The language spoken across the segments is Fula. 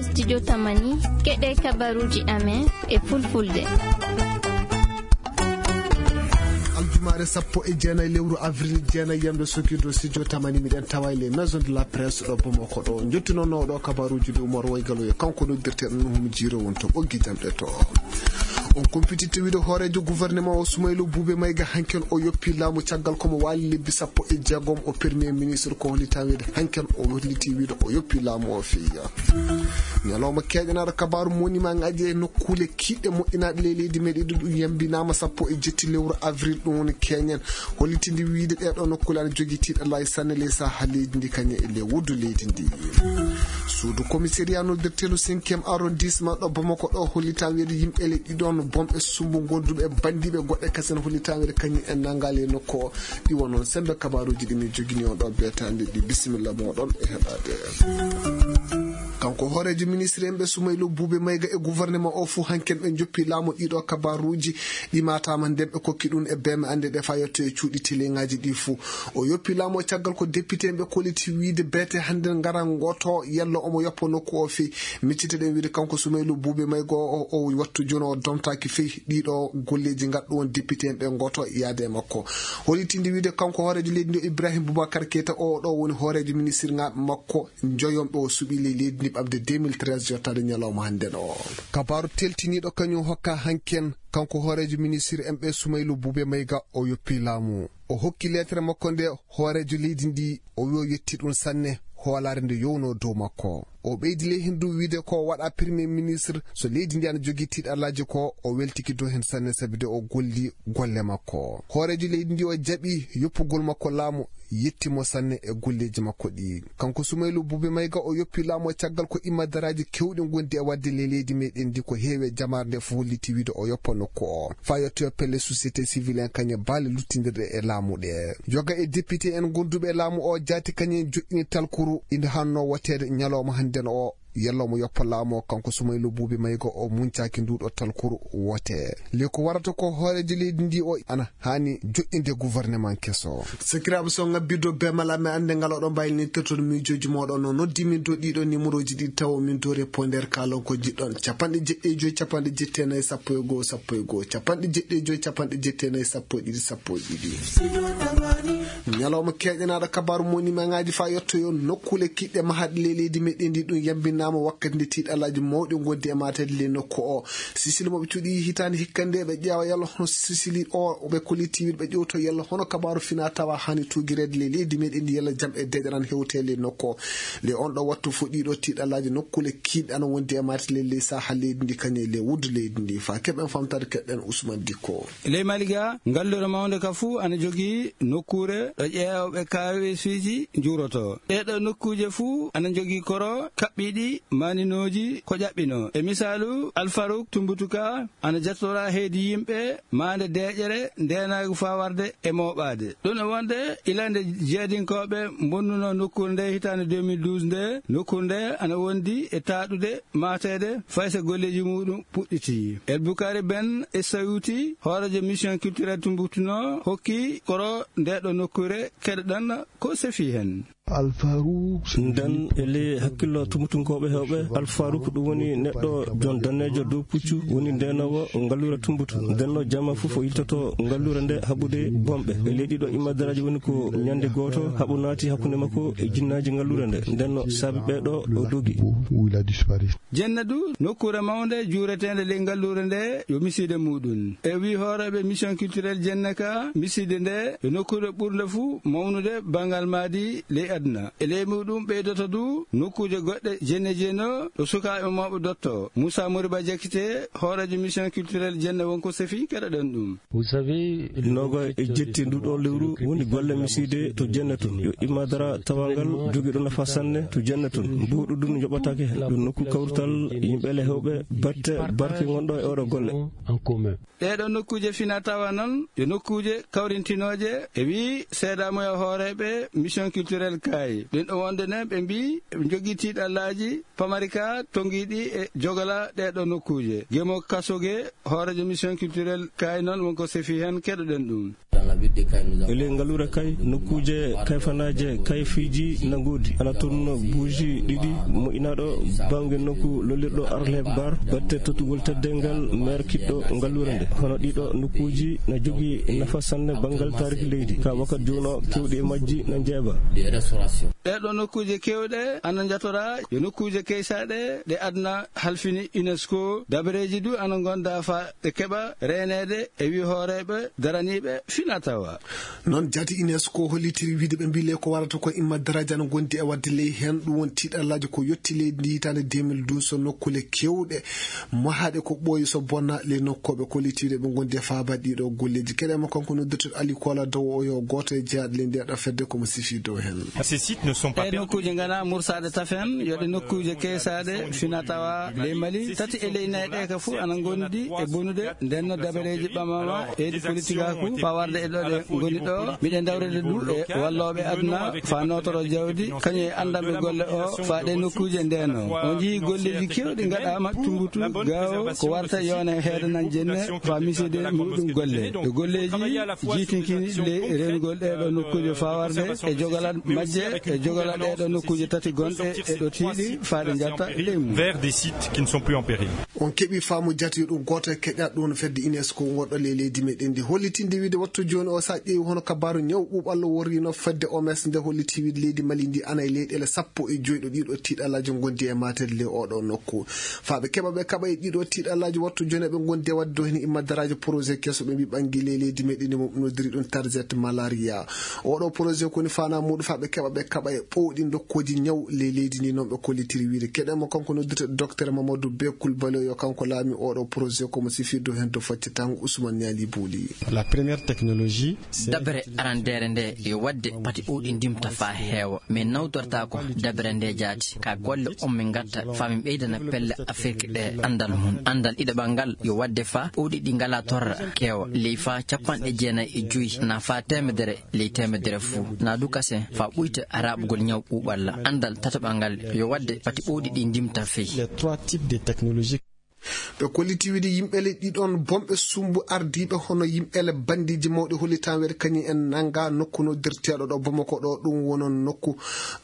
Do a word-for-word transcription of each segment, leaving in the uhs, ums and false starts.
Studio Tamani, keɗe kabaruuji amen e fulfulde. Aljumaare sappo e jeenayi lewru avril jeenayi, yamde sokirde studio Tamani, miɗen tawa e les maisons de la presse ɗo Bamako ɗo. Njottinono ɗo kabaruuji ɗi Umar Waygalo e kanko noddirteɗo Nuhum Jiiro won to ɓoggi jamɗe to. On kumpititte wiide hooreejo gouvernement o Sumaylu Buube Mayga hanken o yoppi laamu caggal ko mo waali lebbi sappo e jeegom o premier ministre, ko hollitaa wiide hanken o holliti wiide o yoppi laamu o feeya. Ñalawma keeƴanaaɗo kabaaru monimaŋaaji e nokkuule kiiɗɗe moƴƴinaaɗe ley leydi meɗen ɗum yambinaama sappo e jetti lewru avril ɗum woni keeñen. Hollitinde wiide ɗee ɗoo nokkuule ana jogii tiiɗalaaji sanne ley sahaa leydi ndi kañum e ley wuddu leydi ndi. Suudu commissariat noddirteelu cinquième arrondissement ɗo Bamako ɗo hollitaa wiide yimɓe le ɗiɗon bomɓe sumbu gonduɓe e banndiiɓe goɗɗe kasen hollitaa wiide kañum en nanngaali e nokku o. Ɗi won noon semmbe kabaaruuji ɗi min jogini on ɗo beetaande ɗi. Bisimilla mooɗon e heɗaade. Kanko hooreejo ministre en ɓe Sumaylu Buube Mayga e gouvernement o fuu hanken ɓe njoppi laamu ɗiɗo kabaaruuji ɗi maataama nden ɓe kokki ɗum e beeme annde ɗe faa yetto e cuuɗi teleŋaaji ɗi fuu. O yoppi laamu o caggal ko député en ɓe kolliti wiide beete hannden ngara ngoto yalla omo yoppa nokku o fii. Miccite ɗen wiide kanko Sumaylu Buube Mayga o, o wattu jooni o domtaaki fii ɗiɗo golleeji ngaddu on député en ɓe ngoto yaade e makko. Hollitinde wiide kanko hooreejo leydi ndi o Ibrahim Boubacar Keita o ɗo woni hooreejo ministre ŋaaɓe makko njoyonɓe o suɓii ley leydi ndi ɓamde deux mille treize yottaade ñalawma hannden o. Kabaaru teltiniiɗo kañum hokka hanken kanko hooreejo ministre en ɓe Sumaylu Buube Mayga o yoppi laamu. O hokki leetere makko nde hooreejo leydi ndi o wi o yetti ɗum sanne hoolaare nde yowno dow makko. O ɓeydi ley heen du wiide ko waɗa premier ministre so leydi ndi ana jogii tiiɗalaaji ko o weltiki dow heen sanne sabi de o golli golle makko. Hooreejo leydi ndi o jaɓi yoppugol makko laamu yetti mo sanne e golleeji makko ɗi. Kanko Sumaylu Buube Mayga o yoppi laamu o caggal ko immadaraaji kewɗi ngondi e waɗde ley leydi meɗen ndi ko heewi e jamaare nde fof holliti wiide o yoppa nokku o. Faa yettoyo pelle société civile en kañe baale luttindirɗe e laamu ɗe. Yoga e député en gonduɓe e laamu o jaati kañen joɗɗini talkuru ina hanno woteede ñalawma hannden o. Yalla omo yoppa laamu o kanko Sumaylu Buube Mayga o muncaaki nduɗo talkuru wote. Le ko warata ko hooreejo leydi ndi o ana haani joɗɗinde gouvernement keso. Sakiraaɓe so ngabbiddo be mala mi annde ngal oɗon mbayli ni tertoɗo miijooji mooɗon no noddi min do ɗiɗo numéroji ɗi tawo min do répondeur kalon ko jiɗɗon capanɗe jeɗɗi e joyi capanɗe jetti e nayi sappo e goo sappo e goo capanɗe jeɗɗi e joyi capanɗe jetti e nayi sappo e ɗiɗi sappo e ɗiɗi. Ñalawma keeƴanaaɗo kabaaru moni maŋaaji faa yettoyo nokkuule kiɗɗe mahaɗe ley leydi meɗen ndi ɗum yambinaama wakkati nde tiiɗalaaji mawɗi ngondi e maateede ley nokku o. Sisili mo ɓe cuɗi hitaande hikka nde ɓe ƴeewa yalla hono sisili o ɓe kolliti wiide ɓe ƴewto yalla hono kabaaru fina tawa hani tuugireede ley leydi meɗen ndi yalla jam e deƴƴere an hewte ley nokku o. Ley on ɗo wattu fof ɗiɗo tiiɗalaaji nokkuule kiiɗɗe ana wondi e maateede ley saha leydi ndi kañum e ley wuddu leydi ndi faa keɓen famtaade keɗɗen Ousmane Dicko. Ley Maliga, ngallure mawnde ka fuu ana jogii nokkuure ɗo ƴeewɓe kaaweesuuji njuurotoo. Ɗee ɗoo nokkuuje fuu ana njogii koro kaɓɓiiɗi maaninooji ko ƴaɓɓinoo. E misaalu, Alfaruk Tumbutuka ana jatoraa heedi yimɓe maande deeƴere ndeenaagu faa warde e mooɓaade. Ɗum e wonde ila nde jeedinkooɓe mbonnunoo nokkuure ndee hitaande deux mille douze ndee, nokkuure ndee ana wondi e taaɗude maateede fay so golleeji muuɗum puɗɗitii. El Bukari Ben Essayuti, hooreejo mission culturelle Tumbuktu no hokki koro ndee ɗoo nokkuure keɗoɗen ko sefi heen. Nden e ley hakkillo Tumbutunkooɓe heewɓe, Alfaruk ɗum woni neɗɗo jon daneejo dow puccu, woni ndeenoowo ngalluure Tumbutu. Nden no jamma fof o yiltoto ngalluure nde haɓude bomɓe. E ley ɗiɗo immadaraaji woni ko ñande gooto haɓu naati hakkunde makko e jinnaaji ngalluure nde. Nden no saabi ɓee ɗoo o dogi. Jennadu, nokkuure mawnde juureteende ley ngalluure nde yo misiide muuɗum. E wii hooreeɓe mission culturelle Jenne ka, misiide nde yo nokkuure ɓurnde fuu mawnude banngal maadi ley aduna. E ley muuɗum ɓeydoto du nokkuuje goɗɗe Jenne Jeno ɗo sukaaɓe mawɓe dotto. Moussa Moriba Diakité, hooreejo mission culturelle Jenne wonko sefi keɗoɗen ɗum. Noogay e jetti ndu ɗoo lewru woni golle misiide to Jenne tun. Yo immadara tawangal jogiiɗo nafa sanne to Jenne tun. Mbuuɗu ndun yoɓataake heen. Ɗum nokku kawrital yimɓe le heewɓe batte barke ngonɗo e oɗo golle. Ɗee ɗoo nokkuuje fina tawa noon yo nokkuuje kawrintinooje e wii seedaamuya hooreeɓe mission culturelle Kaay. Ɗum ɗo wonde ne ɓe mbii ɓe njogii tiiɗallaaji pamari ka tongiiɗi e jogala ɗee ɗoo nokkuuje. Gemo Kasoge, hooreejo mission culturelle Kaay noon wonko sefi heen keɗoɗen ɗum. E ley ngaluure Kay, nokkuuje kayfanaaje kayfiiji na ngoodi. Ana toon buuji ɗiɗi moƴƴinaaɗo bannge nokku lollirɗo Arleb Bar, batte tottugol teddeengal meer kiɗɗo ngaluure nde. Hono ɗiɗo nokkuuji na jogii nafa sanne banngal taariki leydi. Ka wakat jooni o, keewɗi e majji na njeeɓa. Ɗee ɗoo nokkuuje keewɗe ana njatoraa yo nokkuuje keysaaɗe ɗe aduna halfini UNESCO. Dabareeji du ana ngonda fa ɓe keɓa reeneede e wi hooreeɓe daraniiɓe finatawa. Noon jaati UNESCO hollitiri wiide ɓe mbii ley ko warata ko imma daraja no ngondi e waɗde ley heen. Ɗum woni tiiɗallaaji ko yotti leydi ndi hitaande deux mille douze, so nokkuule keewɗe mahaaɗe ko ɓooyi so bonna ley nokkooɓe kollitiiɗe ɓe ngondi e faabaade ɗiɗo golleeji. Keɗe mo kanko noddirteɗo Ali Kola Dow o yo gooto e jeyaaɗo ley ndeɗo fedde ko mo sifi dow heen. Ces sites ne sont pas Ɗee nokkuuje ngana mursaade tafen, yo ɗe nokkuuje keesaaɗe finatawa ley Mali. Tati e ley nayi ɗe ka fof ana ngondi e bonude. Nden no dabareeji ɓamama e ɗi politikaaku fawarde e ɗo ɗe ngoni ɗo. Miɗen dawrede du e wallooɓe aduna fa nootoro jawdi, kañum e anndanɓe golle o fa ɗe nokkuuje ndeno. On njii golleeji keewɗi ngaɗaama Tumbutu, Gaawo, ko warta yone heedanan jenne fa miside muɗum golle. E golleeji jiitinkini ley reenugol ɗee ɗo nokkuuje fawarde e jogalal majje e jogalal ɗee ɗo nokkuuje tati gonɗe e ɗo tiiɗi fa ɗe njatta ley mum. Vers des sites qui ne sont plus en péril. On keɓi faamu jaati ɗum gooto e keƴa ɗum fedde UNESCO wonɗo ley leydi meɗen ndi hollitinde wiide wattu jooni o, so a ƴeewi hono kabaaru ñaw ɓuuɓallo worrino fedde O M S nde holliti wiide leydi Mali ndi ana e leyɗeele sappo e joy ɗo ɗiɗo tiiɗalaaji ngondi e maatede ley oɗo nokku. Faaɓe keɓa ɓe kaɓa e ɗiɗo tiiɗalaaji wattu jooni ɓe ngondi e waɗde dow heen imma daraaji projet keso ɓe mbi ɓangi ley leydi meɗen ndi mo nodiri ɗum target malaria. Oɗo projet koni fana muɗum faaɓe keɓa ɓe kaɓa e ɓowɗi ndokkoji ñaw ley leydi ndi noon ɓe kollitiri wiide keɗe mo kanko noddirte docteur Mamadou Bekul Balo yo kanko laami oɗo projet komo sifirde heen to faccitango Ousmane Niali Bouli. La première technologie, c'est Dabere arandere nde yo wadde pati ɓowɗi ndimta fa heewa. Min nawtortaako dabere nde jaati. Ka golle on min ngatta fa min ɓeydana pelle Afirki ɗe andal mum. Andal ɗiɗaɓal ngal yo wadde fa ɓowɗi ɗi ngala torra keewa. Ley fa capanɗe jeenayi e joyi na fa temedere ley temedere fuu. Na du kasen fa ɓuyta raɓugol ñaw ɓuuɓalla. Andal tataɓal ngal yo wadde pati ɓowɗi ɗi ndimta fey. Les trois types de technologie. Ɓe kolliti wiide yimɓele ɗiɗon bomɓe sumbu ardiiɓe hono yimɓele bandiji mawɗi hollitan weɗe kañum en nanga nokku noddirteeɗo ɗo Bamako ɗo, ɗum wonon nokku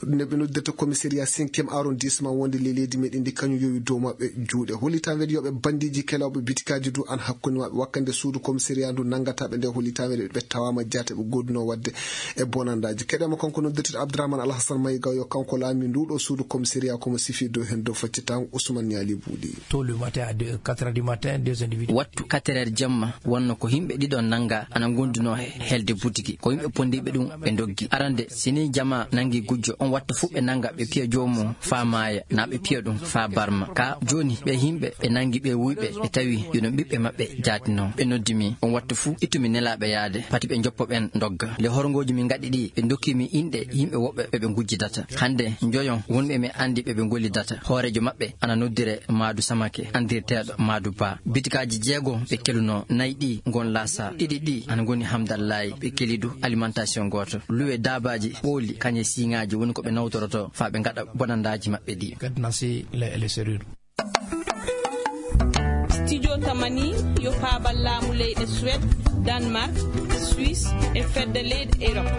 nde ɓe noddirta commissariat cinquième arrondissement wonde ley leydi meɗen ndi, kañum yowi dow maɓɓe juuɗe. Hollitan weɗe yoɓe bandiji kelawɓe bitikaji du an hakkunde maɓɓe wakkande suudu commissariat ndu nangataɓe nde hollitan weɗe ɓe tawama jaate ɓe goduno wadde e bonandaji. Keɗema kanko noddirteeɗo Abdourahmane Alhassan Mayiga yo kanko laami nduɗo suudu commissariat komo sifi dow hen dow faccitango Ousmane Niali Buuɗi. Tôt le matin à deux, quatre heures du matin, deux individus. Wattu quatre heures jemma wonno ko yimɓe ɗiɗon nanga ana gonduno he helde butiki. Ko yimɓe pondiɓe ɗum ɓe doggi. Arande sini jama nangi gujjo on wattu fu ɓe nanga ɓe piya joomum fa maaya na ɓe piya ɗum fa barma. Ka joni ɓe yimɓe ɓe nangi ɓe wuyɓe ɓe tawi yuno ɓiɓɓe maɓɓe jaatino. Ɓe noddi mi on wattu fu ittu mi nelaɓe yaade pati ɓe joppo ɓen dogga. Le horgoji min gaɗi ɗi ɓe dokki mi inɗe yimɓe woɓɓe ɓe ɓe gujjidata. Hande njoyon wonɓe mi andi ɓe ɓe gollidata. Hoorejo maɓɓe ana noddire Maadu Samake, andirteeɗo Maadu Ba. Bitikaji jeego ɓe keluno, nayi ɗi ngon lasa, ɗiɗi ɗi ana ngoni Hamdallahi. Ɓe keli du alimentation gooto. Luwe dabaji ɓooli, kañe siŋaaji woni ko ɓe nawtoroto fa ɓe ngaɗa bonandaji maɓɓe ɗi. Cadenassé les, les serrures. Studio Tamani yo paabal laamu leyɗe Suède, Danemark, Suisse e fedde leyɗe Europe.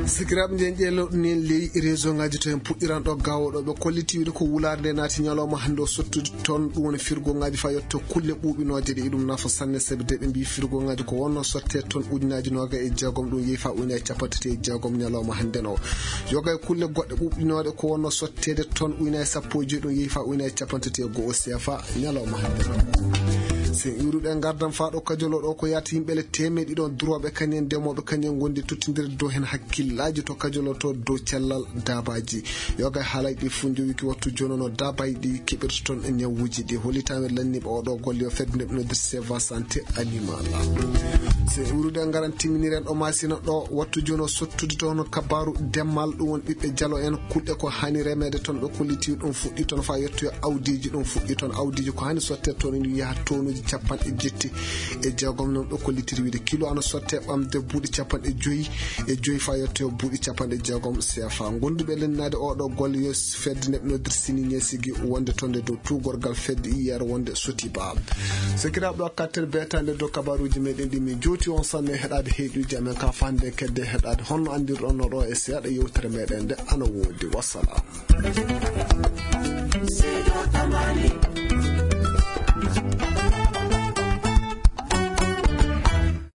Sikiraaɓe, nden ƴeeloɗo nen ley réseau ngaji to en puɗɗiranɗo gawoɗo ɓe kolliti wiide ko wulaare nde naati ñalawma hannde o sottude toon, ɗum woni firgo ngaji fa yetto kulle ɓuuɓinooje ɗe. Iɗum nafa sanne sabi de ɓe mbi firgo ngaji ko wonno sotte toon ujunaji noga e jeegom, ɗum yeehi fa ujuna e capanɗe tati e jeegom ñalawma hannde no. Yoga e kulle goɗɗe ɓuuɓinooɗe ko wonno sotteede toon ujuna e sappo e joyi, ɗum yeehi fa ujuna e capanɗe tati e go'o sefa ñalawma hannde no. Sen iwruɗe ngardan fa ɗo kajolo ɗo ko yaata yimɓe le temeɗe ɗiɗon durooɓe kañen ndemoɓe kañen gondi tottidirde dow hen hakkillaaji to kajolo to dow cellal daabaaji. Yoga e haalay ɗi fu jowiki wattu jonono daabaaji ɗi keɓirta toon e ñawuuji ɗi. Hollitaama lanniiɓe oɗo golle yo fedde nde ɓe noddirta Seva Santé Animal. Se iwrude ngaran timminiren ɗo Masina ɗo wattu jono sottude toon kabaaru demmal, ɗum won ɓiɓɓe jalo en kulɗe ko hani remeede toon ɓe kolliti ɗum fuɗɗi toon fa yettoyo awdiiji ɗum fuɗɗi toon. Awdiiji ko hani sotte toon ina yaha tonuuji capanɗe jetti e jeegom noon ɗo ko litiri wiide kilo ana sotte ɓamde buuɗi capanɗe joyi e joyi fa yetto buuɗi capanɗe jeegom sefa. Gonduɓe lennade oɗo golle yo fedde neɗɗo nodir sini ñesigi wonde tonde dow tugorgal fedde iyere wonde sotiba. Sekiraɓe ɗo kattere betande dow kabaruji meɗen ɗi min jowti on sanne heɗade heɗuji amen ka fande kedde heɗade honno andirɗon no ɗo e seeɗa yewtere meɗen nde ana wodi. Wassalam.